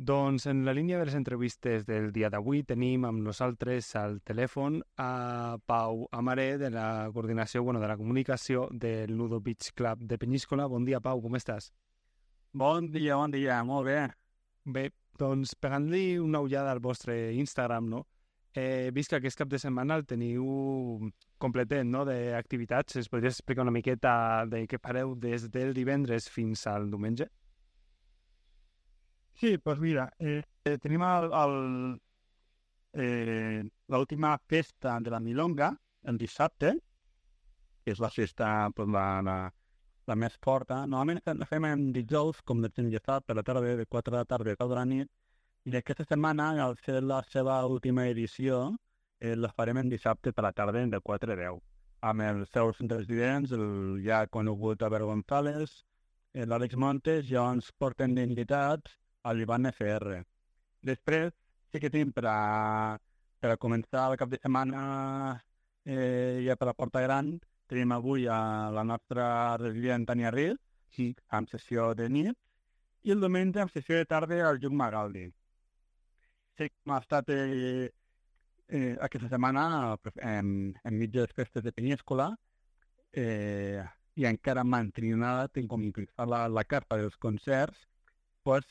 Doncs en la línia de les entrevistes del dia d'avui tenim amb nosaltres al telèfon a Pau Amaré de la coordinació, de la comunicació del Nudo Beach Club de Penyíscola. Bon dia, Pau, com estàs? Bon dia, molt bé. Bé, doncs pegant-li una ullada al vostre Instagram, no? He vist que aquest cap de setmana el teniu completet, no?, d'activitats. Es podries explicar una miqueta de què fareu des del divendres fins al diumenge? Sí, doncs mira, tenim l'última festa de la Milonga, el dissabte, que és la festa la més forta. Normalment la fem en dijous, com ja sap, per la tarda, de 4 de la tarda a la nit, i aquesta setmana, al ser la seva última edició, la farem en dissabte per la tarda, de 4 a 10, amb els seus residents, el ja conegut Albert González, l'Àlex Montes, ja ens porten d'invitats a l'Ivan FR. Després, sí que tenim per a començar el cap de setmana ja per la Porta Gran, tenim avui a la nostra resident Tania Riz, amb sessió de nit, i el diumenge amb sessió de tarda al Lluc Magaldi. Sí que hem estat aquesta setmana enmig de les festes de Penyíscola i encara mantenint com increïble la carta dels concerts, pues,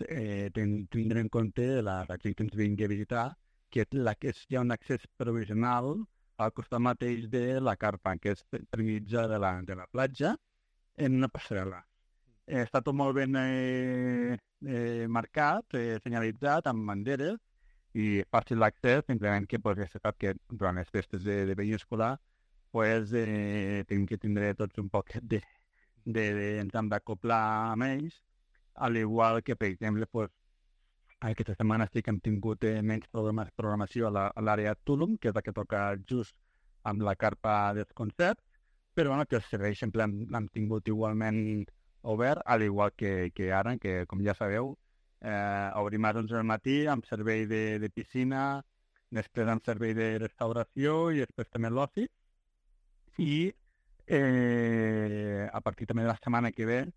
tindre en compte la gent que ens vingui a visitar, que hi ha un accés provisional al costat mateix de la carpa, que és per mitjà de la platja, en una passarel·la. Està tot molt ben marcat, senyalitzat, amb banderes, i fàcil l'accés, simplement que ja se sap que durant les festes de Penyíscola tenim que tindre tots un poquet ens hem d'acoplar amb ells, al igual que, per exemple, aquesta setmana sí que hem tingut menys programació a l'àrea Tulum, que és la que toca just amb la carpa dels concerts, però que els serveis sempre l'hem tingut igualment obert, al igual que ara, que com ja sabeu, obrim a 11 del matí amb servei de piscina, després amb servei de restauració i després també l'oci. I a partir també de la setmana que ve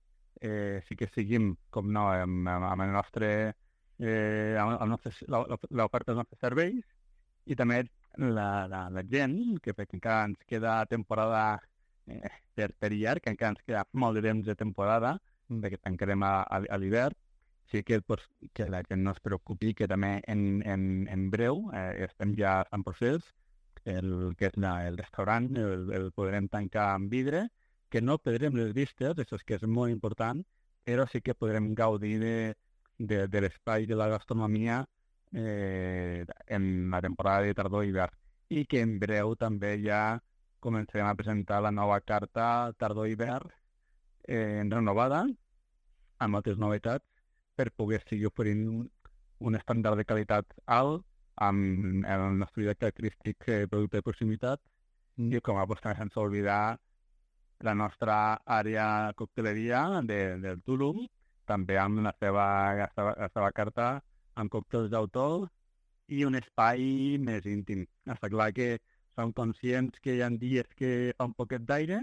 sí que seguim, com no, amb el nostre l'oferta dels nostres serveis, i també la gent, que encara ens queda temporada per llarg, que encara ens queda molt de temps de temporada, perquè tancarem a l'hivern. Sí que la gent no es preocupi, que també en breu estem ja en procés, el que és el restaurant, el podrem tancar amb vidre, que no perdrem les vistes, això és que és molt important, però sí que podrem gaudir de l'espai de la gastronomia en la temporada de tardor i hivern, i que en breu també ja començarem a presentar la nova carta tardor-hivern renovada, amb moltes novetats, per poder seguir oferint un estàndard de qualitat alt amb el nostre característic producte de proximitat, i com a també sense oblidar la nostra àrea cocteleria del Tulum, també amb la seva carta amb còctels d'autor i un espai més íntim. Està clar que som conscients que hi ha dies que fa un poquet d'aire,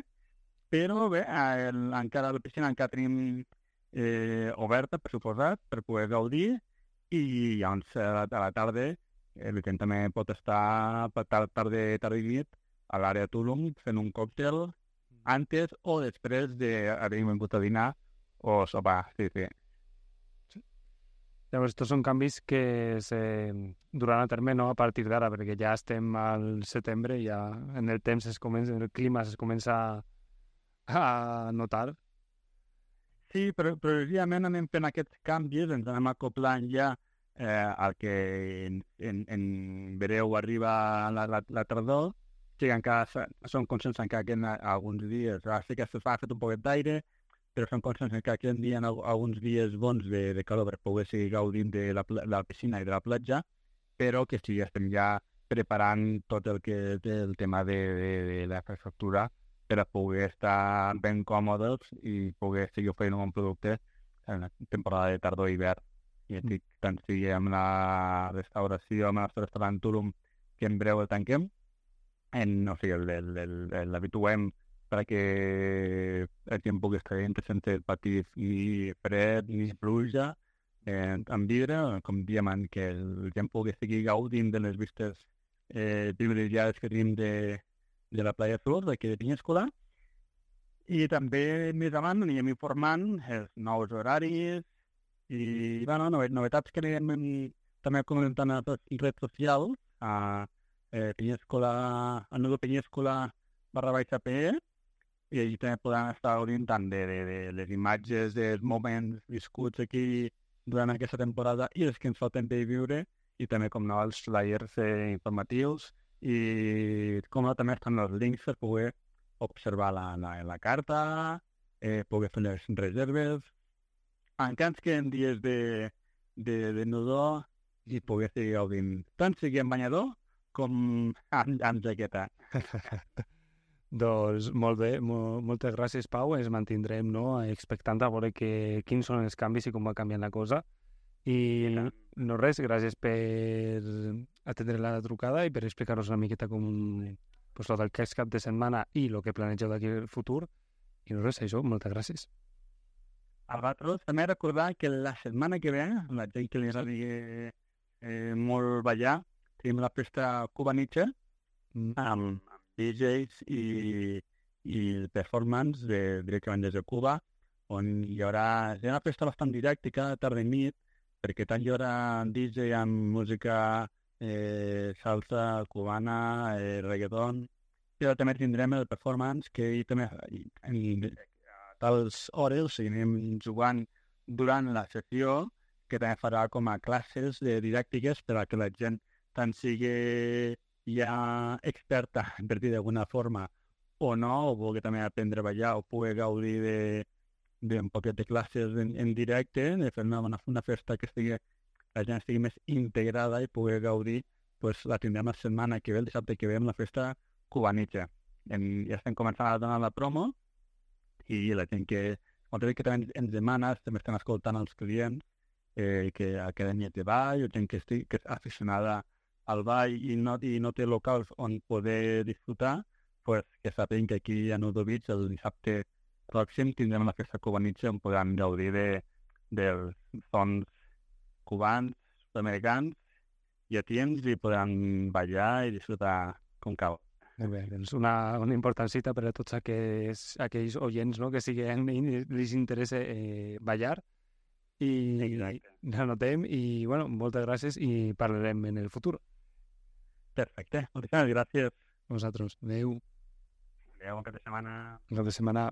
però bé, encara la piscina encara tenim oberta, per suposat, per poder gaudir, i llavors a la tarda la gent també pot estar per tarda i nit a l'àrea Tulum fent un còctel antes o després d'haver vingut a dinar o sopar, sí. Llavors, estos són canvis que se duran a terme, no?, a partir d'ara, perquè ja estem al setembre i ja en el temps el clima es comença a notar. Sí, però progressivament anem fent aquests canvis, ens anem acoplant ja al que en breu arriba la tardor. Sí que encara som conscients encara que en alguns dies, sí que s'ha fet un poquet d'aire, però som conscients que aquí en dia alguns dies bons de calor per poder seguir gaudint de la piscina i de la platja, però que sí, estem ja preparant tot el que és el tema de la infraestructura per a poder estar ben còmodes i poder seguir oferint un bon producte en la temporada de tardor i hivern. I estic tant sigui amb la restauració, amb el nostre restaurant Tulum, que en breu el tanquem, l'habituem perquè la gent pugui estar dintre sense patir ni fred ni pluja, en vidre, com diem, que la gent pugui seguir gaudint de les vistes privilegiades que tenim de la Playa Sur, d'aquí de Penyíscola. I també més avant anirem informant els nous horaris i bueno, novetats que anirem també comentant a les redes socials, a Penyíscola, a Nudo Penyíscola /PE, i allí també podran estar gaudint tant de les imatges, dels moments viscuts aquí durant aquesta temporada i els que ens falten per viure, i també, com no, els flyers informatius, i com no, també estan els links per poder observar la carta, poder fer les reserves. Encara ens queden dies de nudó i poder seguir gaudint, tant sigui en banyador com amb jaqueta. Doncs molt bé, moltes gràcies, Pau. Ens mantindrem, no, expectant a veure quins són els canvis i com va canviant la cosa. I no res, gràcies per atendre la trucada i per explicar-nos una miqueta com pues, tot el que és cap de setmana i el que planegeu d'aquí al futur. I no res, això, moltes gràcies. A vosaltres també recordar que la setmana que ve, la gent que li agradi molt ballar, tenim la festa Cuba Nietzsche, amb DJs i performance directament des de Cuba, on hi haurà una festa bastant didàctica, tarda i nit, perquè tant hi haurà DJ amb música salsa cubana, reggaeton, però també tindrem el performance, que també a tals hores seguirem jugant durant la sessió, que també farà com a classes didàctiques per a que la gent tant sigui ja experta, per dir d'alguna forma, o no, o vulgui també aprendre a ballar o pugui gaudir d'un poquet de classes en directe, de fer una festa que la gent estigui més integrada i pugui gaudir, pues la tindrem la setmana que ve, el dissabte que ve, amb la festa Cuba Nietzsche. Ja estem començant a donar la promo i la gent que també ens demana, també estem escoltant els clients, que acadèmies de ball, o gent que és aficionada al ball i no té locals on poder disfrutar, pues que sàpiguen que aquí a Nudo Beach el dissabte pròxim tindrem la festa Cuba Nietzsche on podran gaudir dels sons cubans, sud-americans, llatins, i podran ballar i disfrutar com cal. Molt bé, doncs una important cita per a tots aquells oients, no, que siguen i els interessa ballar. I l'anotem i, bueno, moltes gràcies i parlarem en el futur. Perfecte, moltes gràcies. Vosaltres. Adéu. Adéu, bon cap de setmana. Bon cap de setmana.